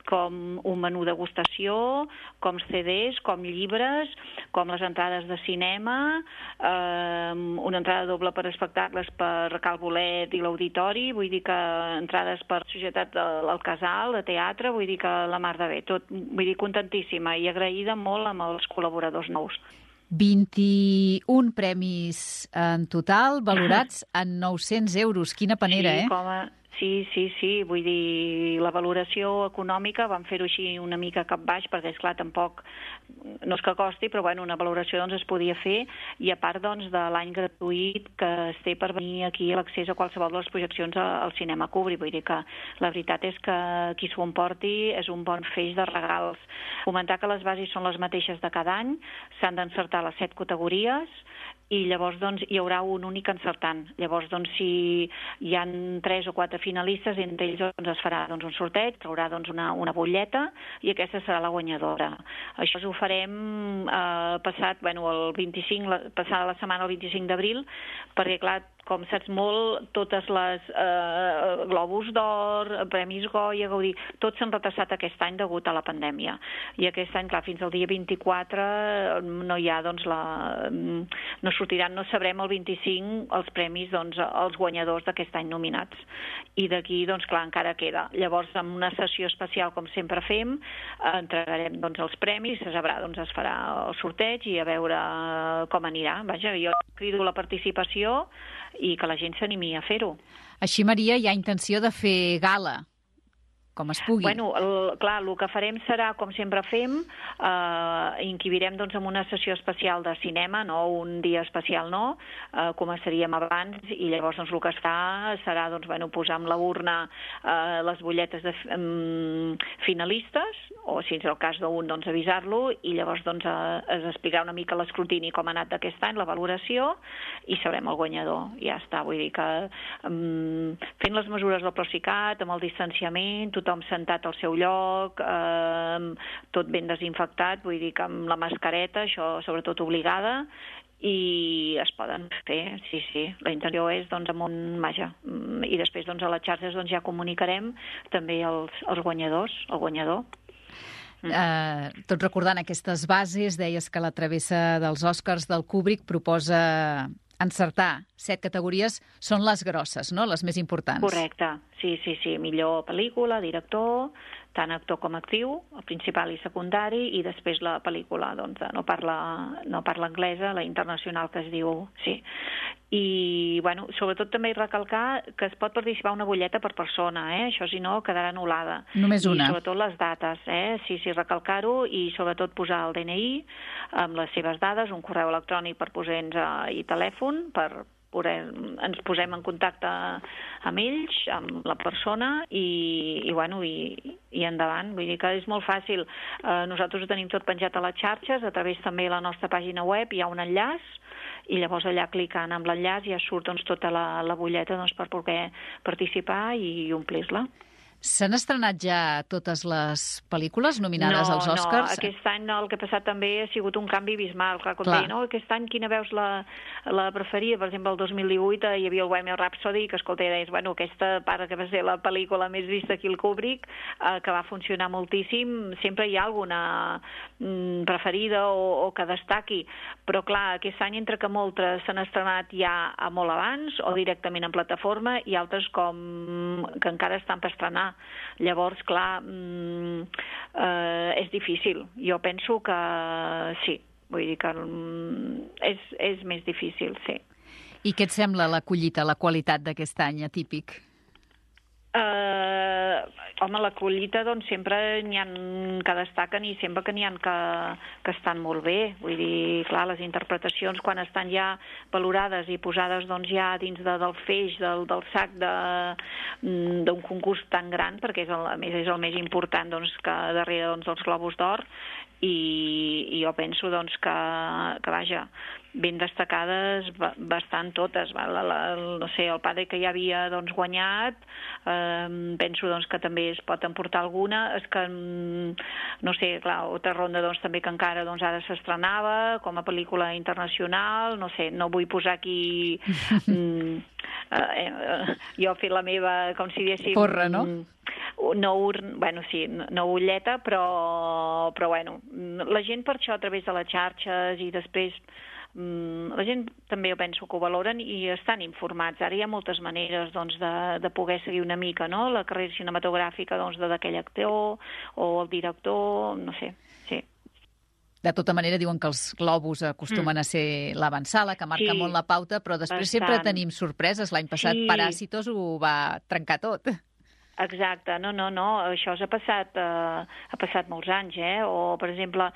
com un menú degustació, com CDs, com llibres, com les entrades de cinema, una entrada doble per espectacles per Cal Bolet i l'Auditori, vull dir que entrades per Societat del Casal, de teatre, vull dir que la mar de bé, tot, vull dir, contentíssima i agraïda molt amb els col·laboradors nous. 21 premis en total, valorats en 900 euros. Quina panera, Sí, vull dir, la valoració econòmica vam fer-ho així una mica cap baix, perquè, esclar, tampoc, no és que costi, però una valoració es podia fer, i a part de l'any gratuït que es té per venir aquí a l'accés a qualsevol de les projeccions al cinema Kubrick. Vull dir que la veritat és que qui s'ho emporti és un bon feix de regals. Comentar que les bases són les mateixes de cada any, s'han d'encertar les 7 categories, i llavors hi haurà un únic encertant. Llavors, si hi ha 3 o 4 finalistes, entre ells es farà un sorteig, traurà una butlleta, i aquesta serà la guanyadora. Això ho farem passada la setmana el 25 d'abril, perquè, clar, com saps molt, totes les Globus d'Or, Premis Goya, Gaudí, tots s'han retrasat aquest any degut a la pandèmia. I aquest any, clar, fins al dia 24 no hi ha, no sortiran, no sabrem el 25 els premis, els guanyadors d'aquest any nominats. I d'aquí, clar, encara queda. Llavors, en una sessió especial, com sempre fem, entregarem els premis, se sabrà, es farà el sorteig i a veure com anirà. Vaja, jo crido la participació i que la gent s'animi a fer-ho. Així, Maria, hi ha intenció de fer gala, com es pugui. Clar, el que farem serà, com sempre fem, inquibirem en una sessió especial de cinema, no un dia especial, no, començaríem abans, i llavors el que es fa serà posar amb la urna les butlletes de finalistes, o si és el cas d'un, avisar-lo, i llavors es explicarà una mica l'escrutini com ha anat d'aquest any, la valoració, i sabrem el guanyador. Ja està, vull dir que fent les mesures del Procicat, amb el distanciament, tothom sentat al seu lloc, tot ben desinfectat, vull dir que amb la mascareta, això sobretot obligada, i es poden fer, sí. La intenció és, i després a les xarxes ja comunicarem també els guanyadors, el guanyador. Tot recordant aquestes bases, deies que la travessa dels Oscars del Kubrick proposa encertar 7 categories, són les grosses, no?, les més importants. Correcte, sí. Millor pel·lícula, director, tant actor com actriu, el principal i secundari, i després la pel·lícula, doncs, no parla anglesa, la internacional que es diu, sí. I, bueno, sobretot també recalcar que es pot participar una butlleta per persona, això si no quedarà anul·lada. Només una. I sobretot les dates, sí, recalcar-ho, i sobretot posar el DNI amb les seves dades, un correu electrònic per posar-nos i telèfon, ens posem en contacte amb ells, amb la persona, i endavant. Vull dir que és molt fàcil. Nosaltres ho tenim tot penjat a les xarxes, a través també de la nostra pàgina web hi ha un enllaç, i llavors allà clicant amb l'enllaç ja surt tota la butlleta per poder participar i omplir-la. S'han estrenat ja totes les pel·lícules nominades als Oscars? No, aquest any el que ha passat també ha sigut un canvi abismal. Clar, com deia, aquest any quina veus la preferida? Per exemple, el 2018 hi havia el Bohemian Rhapsody, que escolta, deies, bueno, aquesta para que va ser la pel·lícula més vista aquí al Kubrick, que va funcionar moltíssim, sempre hi ha alguna preferida o que destaqui, però clar, aquest any entre que moltes s'han estrenat ja molt abans o directament en plataforma i altres com que encara estan per estrenar. Llavors, clar, és difícil. Jo penso que sí, vull dir que és més difícil, sí. I què et sembla la collita, la qualitat d'aquest any atípic? Home, la collita, doncs, sempre n'hi ha que destaquen i sempre que n'hi ha que estan molt bé. Vull dir, clar, les interpretacions, quan estan ja valorades i posades doncs, ja dins del feix, del sac d'un concurs tan gran, perquè a més és el més important doncs, que darrere dels Globus d'Or, i jo penso doncs, que vaja, ben destacades bastant totes. No sé, el Padre que ja havia doncs, guanyat, penso doncs, que també es pot emportar alguna. És que, no sé, clar, Otra ronda doncs, també que encara doncs, ara s'estrenava com a pel·lícula internacional, no sé, no vull posar aquí... jo he fet la meva, com si diguéssim... Porra, no? No ulleta, però bueno, la gent per això a través de les xarxes i després la gent també jo penso que ho valoren i estan informats. Ara hi ha moltes maneres doncs, de poder seguir una mica no? La carrera cinematogràfica doncs, d'aquell actor o el director, no sé, sí. De tota manera, diuen que els globus acostumen a ser l'avançala, que marca molt la pauta, però després sempre tenim sorpreses. L'any passat Paràsitos ho va trencar tot. Exacte, no, això ha passat molts anys, o per exemple,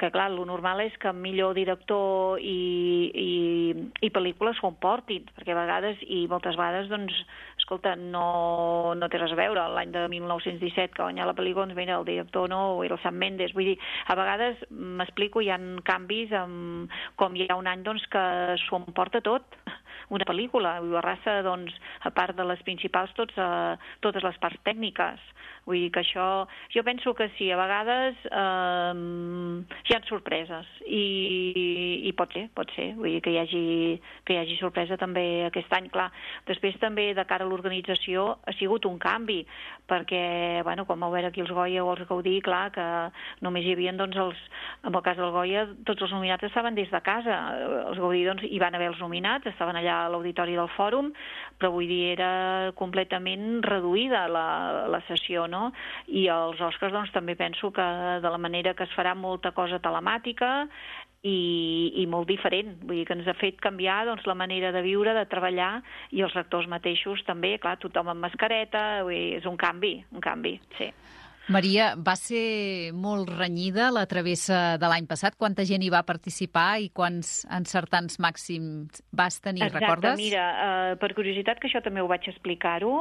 que clar, lo normal és que millor director i pel·lícules s'ho emportin, perquè a vegades, i moltes vegades, doncs, escolta, no té res a veure. L'any de 1917 que guanyà la pel·lícula, doncs mira, el director no, era el Sam Mendes, vull dir, a vegades, m'explico, hi ha canvis, com hi ha un any, doncs, que s'ho emporta tot, una pel·lícula, i arrasa, doncs, a part de les principals, totes les parts tècniques. Vull dir que això... Jo penso que sí, a vegades hi ha sorpreses i pot ser. Vull dir que hi hagi sorpresa també aquest any. Clar, després també de cara a l'organització ha sigut un canvi, perquè, bueno, com vau veure aquí els Goya o els Gaudí, clar, que només hi havia, doncs, en el cas del Goya, tots els nominats estaven des de casa. Els Gaudí, doncs, hi van haver els nominats, estaven allà a l'auditori del Fòrum, però vull dir, era completament reduïda la sessió, no? I els Oscars, doncs, també penso que de la manera que es farà molta cosa telemàtica i molt diferent. Vull dir que ens ha fet canviar doncs, la manera de viure, de treballar, i els actors mateixos també, clar, tothom amb mascareta, vull dir, és un canvi, sí. Maria, va ser molt renyida la travessa de l'any passat? Quanta gent hi va participar i quants encertants màxims vas tenir, recordes? Exacte, mira, per curiositat, que això també ho vaig explicar-ho,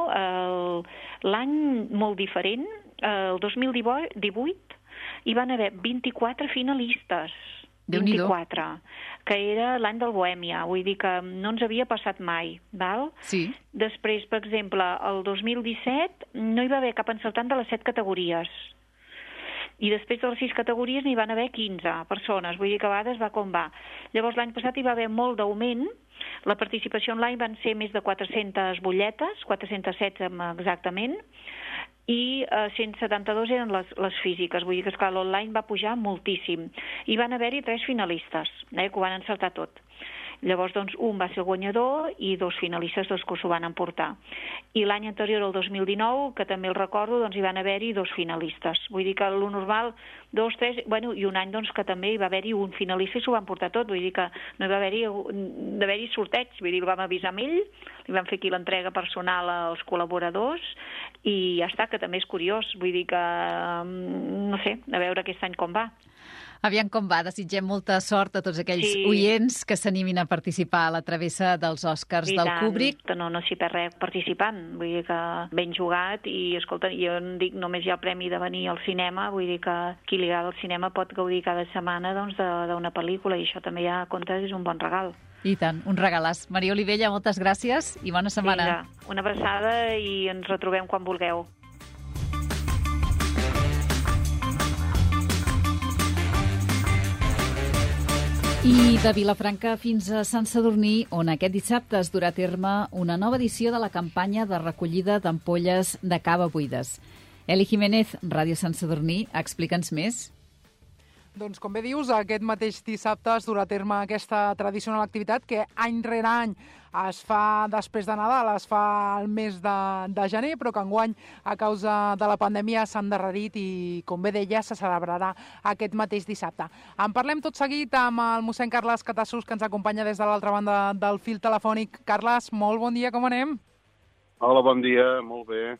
l'any molt diferent, el 2018, hi van haver 24 finalistes. 24, que era l'any del Bohèmia, vull dir que no ens havia passat mai, val? Sí. Després, per exemple, el 2017 no hi va haver cap encertant de les 7 categories. I després de les 6 categories n'hi van haver 15 persones, vull dir que a vegades va com va. Llavors l'any passat hi va haver molt d'augment, la participació online van ser més de 400 butlletes, 416 exactament, i 172 eren les físiques. Vull dir que, esclar, l'online va pujar moltíssim. I van haver-hi 3 finalistes, que ho van encertar tot. Llavors, doncs, un va ser el guanyador i 2 finalistes, 2 que s'ho van emportar. I l'any anterior, el 2019, que també el recordo, doncs hi van haver-hi 2 finalistes. Vull dir que el normal, 2, 3, bueno, i un any doncs, que també hi va haver-hi un finalista i s'ho van portar tot. Vull dir que no hi va haver-hi sorteig. Vull dir, el vam avisar amb ell, li vam fer aquí l'entrega personal als col·laboradors i ja està, que també és curiós. Vull dir que, no sé, a veure aquest any com va. Aviam com va. Desitgem molta sort a tots aquells oients que s'animin a participar a la travessa dels Oscars del Kubrick. No s'hi perd res participant. Vull dir que ben jugat i, escolta, jo dic, només hi ha el premi de venir al cinema, vull dir que qui li agrada el cinema pot gaudir cada setmana doncs, d'una pel·lícula i això també ja compta, és un bon regal. I tant, un regalàs. Maria Olivella, moltes gràcies i bona setmana. Vinga, una abraçada i ens retrobem quan vulgueu. I de Vilafranca fins a Sant Sadurní, on aquest dissabte es durà a terme una nova edició de la campanya de recollida d'ampolles de cava buides. Eli Jiménez, Ràdio Sant Sadurní, explica'ns més. Doncs, com bé dius, aquest mateix dissabte es durà a terme aquesta tradicional activitat que any rere any es fa després de Nadal, es fa al mes de gener, però que enguany, a causa de la pandèmia, s'ha endarrerit i, com bé deia, se celebrarà aquest mateix dissabte. En parlem tot seguit amb el mossèn Carles Catassos, que ens acompanya des de l'altra banda del fil telefònic. Carles, molt bon dia, com anem? Hola, bon dia, molt bé.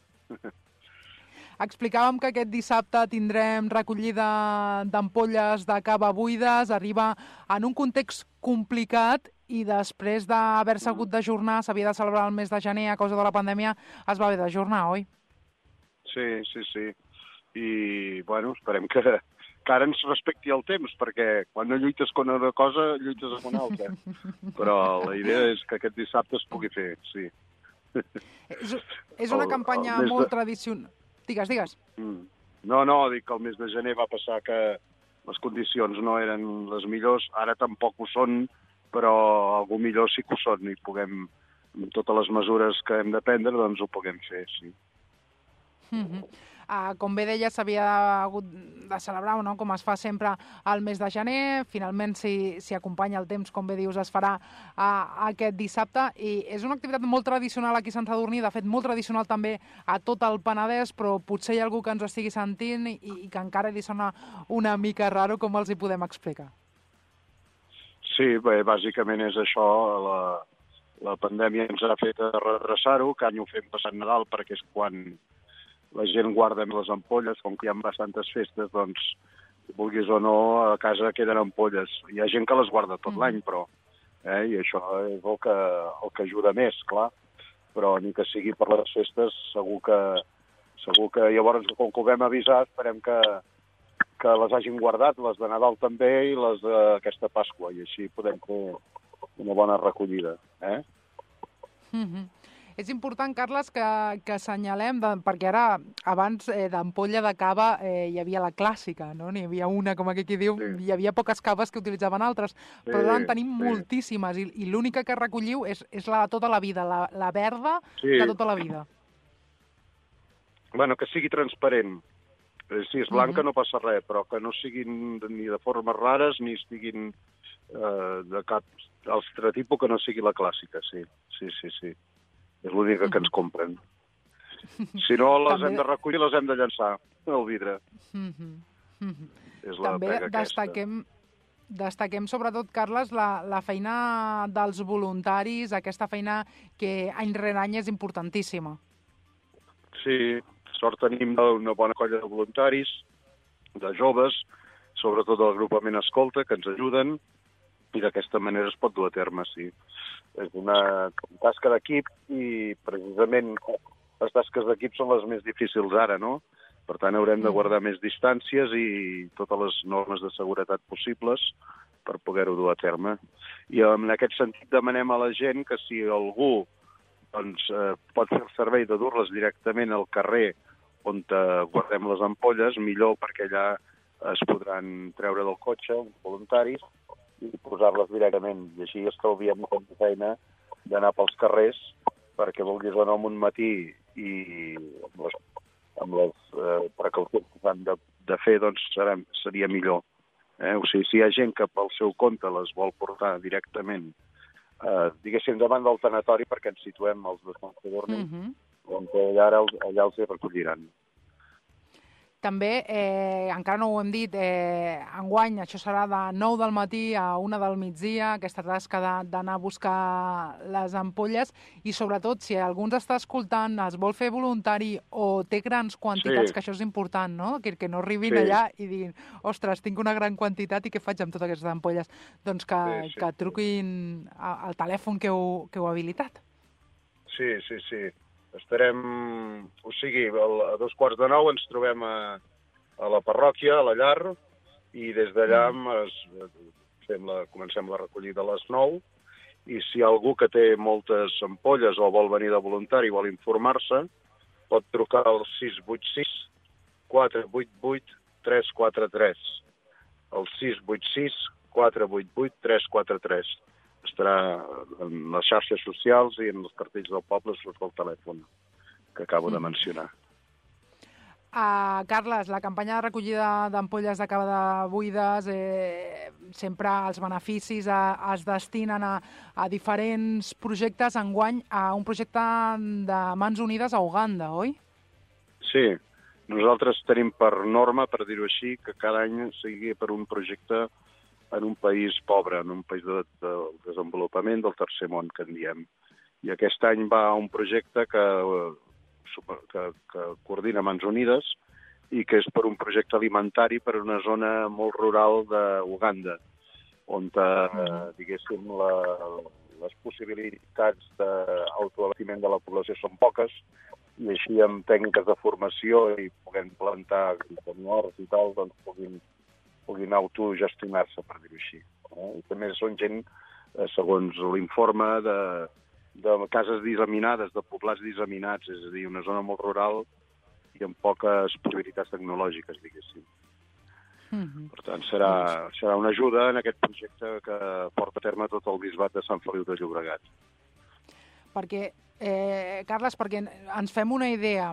Explicàvem que aquest dissabte tindrem recollida d'ampolles de cava buides, arriba en un context complicat i després d'haver-se hagut d'ajornar, s'havia de celebrar el mes de gener a causa de la pandèmia, es va haver d'ajornar, oi? Sí. I, bueno, esperem que ara ens respecti el temps, perquè quan no lluites con una cosa, lluites amb una altra. Però la idea és que aquest dissabte es pugui fer, sí. És una campanya molt tradicional. Digues. No, dic que el mes de gener va passar que les condicions no eren les millors, ara tampoc ho són, però algú millor sí que ho són i puguem, amb totes les mesures que hem de prendre, doncs ho puguem fer, sí. Com bé deia, s'havia hagut de celebrar, no? Com es fa sempre al mes de gener. Finalment, si acompanya el temps, com bé dius, es farà aquest dissabte. I és una activitat molt tradicional aquí a Sant Sadurní, de fet, molt tradicional també a tot el Penedès, però potser hi ha algú que ens ho estigui sentint i que encara li sona una mica raro. Com els hi podem explicar? Sí, bé, bàsicament és això. La pandèmia ens ha fet retrasar-ho, que any ho fem passant Nadal, perquè és quan la gent guarda les ampolles, com que hi ha bastantes festes, doncs, vulguis o no, a casa queden ampolles. Hi ha gent que les guarda tot l'any, però, i això és el que ajuda més, clar. Però ni que sigui per les festes, segur que llavors, com que ho vam avisar, esperem que les hagin guardat, les de Nadal també i les d'aquesta Pasqua, i així podem fer una bona recollida, És important, Carles, que assenyalem, perquè ara, abans d'ampolla de cava, hi havia la clàssica, no? N'hi havia una, com aquí diu, hi havia poques caves que utilitzaven altres, però ara en tenim moltíssimes, i l'única que recolliu és la de tota la vida, la verda de tota la vida. Bueno, que sigui transparent. Si és blanca no passa res, però que no siguin ni de formes rares ni estiguin de cap altre tipus que no sigui la clàssica, sí. És l'única que ens compren. Si no, les hem de recollir, les hem de llançar al vidre. És la pega aquesta. Destaquem sobretot, Carles, la feina dels voluntaris, aquesta feina que any rere any és importantíssima. Sí, sort tenim una bona colla de voluntaris, de joves, sobretot del agrupament Escolta, que ens ajuden, i d'aquesta manera es pot dur a terme, sí. És una tasca d'equip i precisament les tasques d'equip són les més difícils ara, no? Per tant, haurem de guardar més distàncies i totes les normes de seguretat possibles per poder-ho dur a terme. I en aquest sentit demanem a la gent que si algú pot fer el servei de dur-les directament al carrer on guardem les ampolles, millor, perquè allà es podran treure del cotxe voluntaris i posar-les directament. I així estalviem molta feina d'anar pels carrers, perquè vulguis o no, un matí i amb les precaucions que s'han de fer, doncs seria millor. O sigui, si hi ha gent que pel seu compte les vol portar directament, diguéssim, davant del tanatori, perquè ens situem els de Sant Sadurní, doncs allà els hi recolliran. També, encara no ho hem dit, enguany això serà de 9 del matí a 1 del migdia, aquesta tasca d'anar a buscar les ampolles, i sobretot, si algú ens està escoltant, es vol fer voluntari o té grans quantitats, que això és important, no? Que no arribin allà i diguin, ostres, tinc una gran quantitat i què faig amb totes aquestes ampolles? Doncs que truquin al telèfon que heu habilitat. Sí. Estarem, o sigui, a 8:45 ens trobem a la parròquia, a la llar, i des d'allà comencem la recollida a les 9, i si hi ha algú que té moltes ampolles o vol venir de voluntari i vol informar-se, pot trucar al 686 488 343. El 686 488 343. Estarà en les xarxes socials i en els cartells del poble surt el telèfon que acabo de mencionar. Carles, la campanya de recollida d'ampolles de cava buides, sempre els beneficis es destinen a diferents projectes, enguany a un projecte de Mans Unides a Uganda, oi? Sí, nosaltres tenim per norma, per dir-ho així, que cada any sigui per un projecte en un país pobre, en un país de desenvolupament del tercer món, que en diem. I aquest any va un projecte que coordina Mans Unides i que és per un projecte alimentari per una zona molt rural d'Uganda, on, diguéssim, les possibilitats d'autoabastiment de la població són poques, i així amb tècniques de formació i puguem plantar horts i tal, doncs puguin autogestionar-se, per dir-ho així. I també són gent, segons l'informe, de cases disseminades, de poblats disseminats, és a dir, una zona molt rural i amb poques possibilitats tecnològiques, diguéssim. Per tant, serà una ajuda en aquest projecte que porta a terme tot el bisbat de Sant Feliu de Llobregat. Perquè, Carles, perquè ens fem una idea,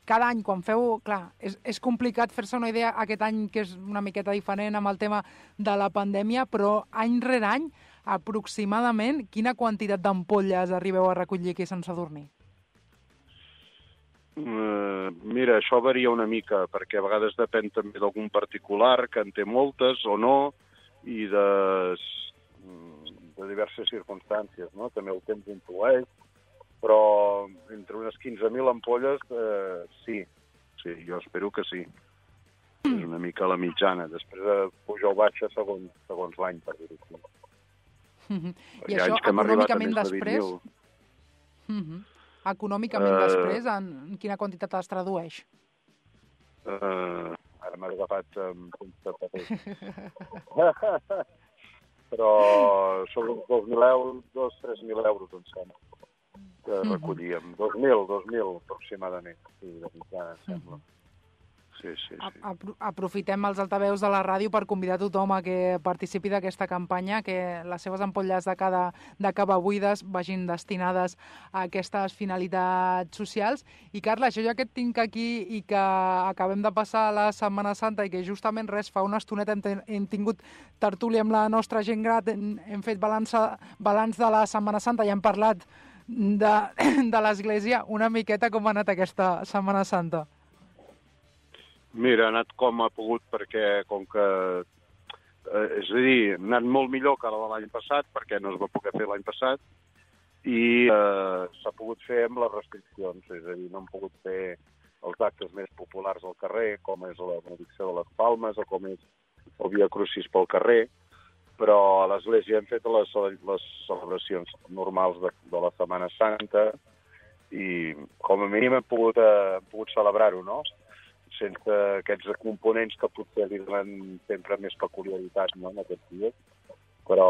cada any quan feu, clar, és complicat fer-se una idea aquest any que és una miqueta diferent amb el tema de la pandèmia, però any rere any, aproximadament, quina quantitat d'ampolles arribeu a recollir aquí a Sant Sadurní? Mira, això varia una mica, perquè a vegades depèn també d'algun particular que en té moltes o no, i de diverses circumstàncies, no? També el temps influeix, però entre unes 15.000 ampolles, sí, jo espero que sí. És una mica la mitjana. Després puja o baixa segons l'any, per dir-ho així. I això, econòmicament després? Econòmicament després, en quina quantitat es tradueix? Ara m'has agafat amb punts de paper. Però sobre uns 2.000 euros, 3.000 euros, em sembla, que recollíem. 2.000 aproximadament, sí, de mitjana, em sembla. Sí. Aprofitem els altaveus de la ràdio per convidar tothom a que participi d'aquesta campanya, que les seves ampolles de cava buides vagin destinades a aquestes finalitats socials. I, Carles, jo ja que et tinc aquí i que acabem de passar la Setmana Santa i que justament fa una estoneta hem tingut tertúlia amb la nostra gent gran, hem fet balanç de la Setmana Santa i hem parlat de l'Església, una miqueta com ha anat aquesta Setmana Santa? Mira, ha anat com ha pogut, perquè com que... és a dir, ha anat molt millor que la de l'any passat, perquè no es va poder fer l'any passat, i s'ha pogut fer amb les restriccions, és a dir, no hem pogut fer els actes més populars al carrer, com és la benedicció de les Palmes o com és el Via Crucis pel carrer, però a l'Església hem fet les celebracions normals de la Setmana Santa i com a mínim hem pogut celebrar-ho, no? Sense aquests components que potser li donen sempre més peculiaritat, no?, en aquests dies. Però,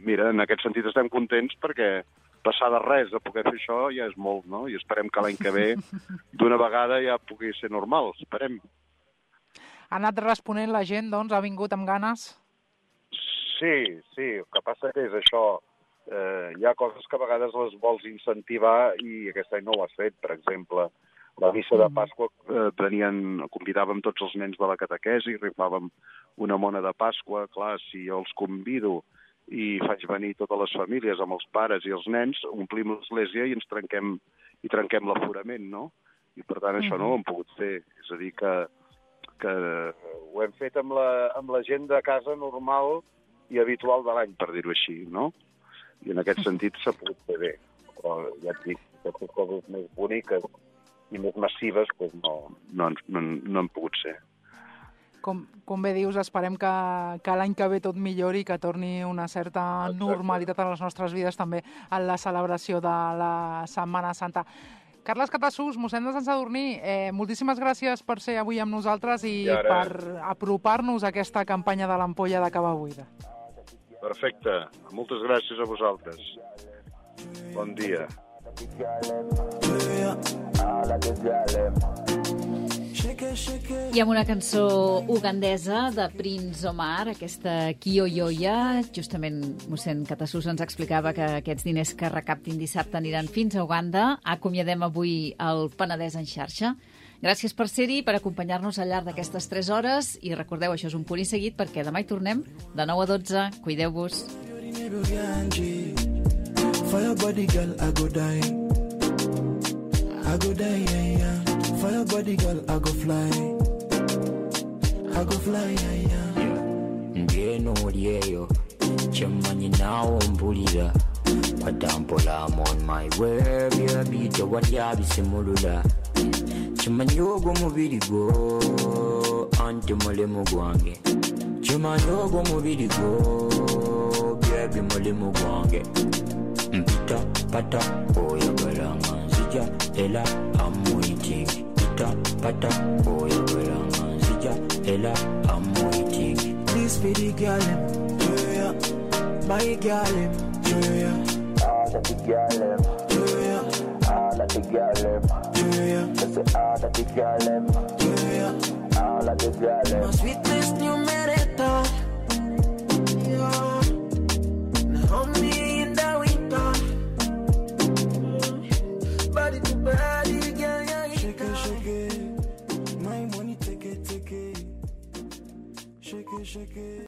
mira, en aquest sentit estem contents perquè passar de res a poder fer això ja és molt, no? I esperem que l'any que ve, d'una vegada, ja pugui ser normal, esperem. Ha anat responent la gent, doncs? Ha vingut amb ganes? Sí, el que passa que és això. Hi ha coses que a vegades les vols incentivar i aquest any no ho has fet, per exemple. La missa de Pasqua convidàvem tots els nens de la catequesi, rifàvem una mona de Pasqua. Clar, si jo els convido i faig venir totes les famílies amb els pares i els nens, omplim l'església i ens trenquem l'aforament, no? I per tant això no ho hem pogut fer. És a dir, que ho hem fet amb la gent de casa normal i habitual de l'any, per dir-ho així, no? I en aquest sentit s'ha pogut fer bé. Però ja et dic, aquestes coses més boniques i més massives doncs no han pogut ser. Com bé dius, esperem que l'any que ve tot millori i que torni una certa normalitat a les nostres vides també en la celebració de la Setmana Santa. Carles Catasús, mossèn de Sant Sadurní, moltíssimes gràcies per ser avui amb nosaltres i per apropar-nos a aquesta campanya de l'ampolla de cava buida. Perfecte. Moltes gràcies a vosaltres. Bon dia. I amb una cançó ugandesa de Prince Omar, aquesta Kiyoyoya, justament mossèn Catasús ens explicava que aquests diners que recaptin dissabte aniran fins a Uganda. Acomiadem avui el Penedès en xarxa. Gràcies per ser-hi, per acompanyar-nos al llarg d'aquestes 3 hores i recordeu, això és un punt i seguit perquè demà hi tornem de 9 a 12. Cuideu-vos. For your body, girl, I go die. I go die, yeah, yeah. For your body, girl, I go fly. I go fly, yeah, yeah. Ngeno liyeyo, chamanyi nawo mpulira. Patampola, I'm on my way, baby, tewali abisimulula. Chimanyi ogwo mubiri gwo, anti mulemu gwange. Chimanyi ogwo mubiri gwo, baby, mulemu gwange. Pita, pata, oyagala nzija, ela, I'm waiting. Pita, pata, oyagala nzija, ela, I'm waiting. This be the girl, yeah, my girl, yeah. All of the girl, yeah. All of the girl, yeah. That's all of the girl, Yeah. all of the girl. My sweetness, new merita.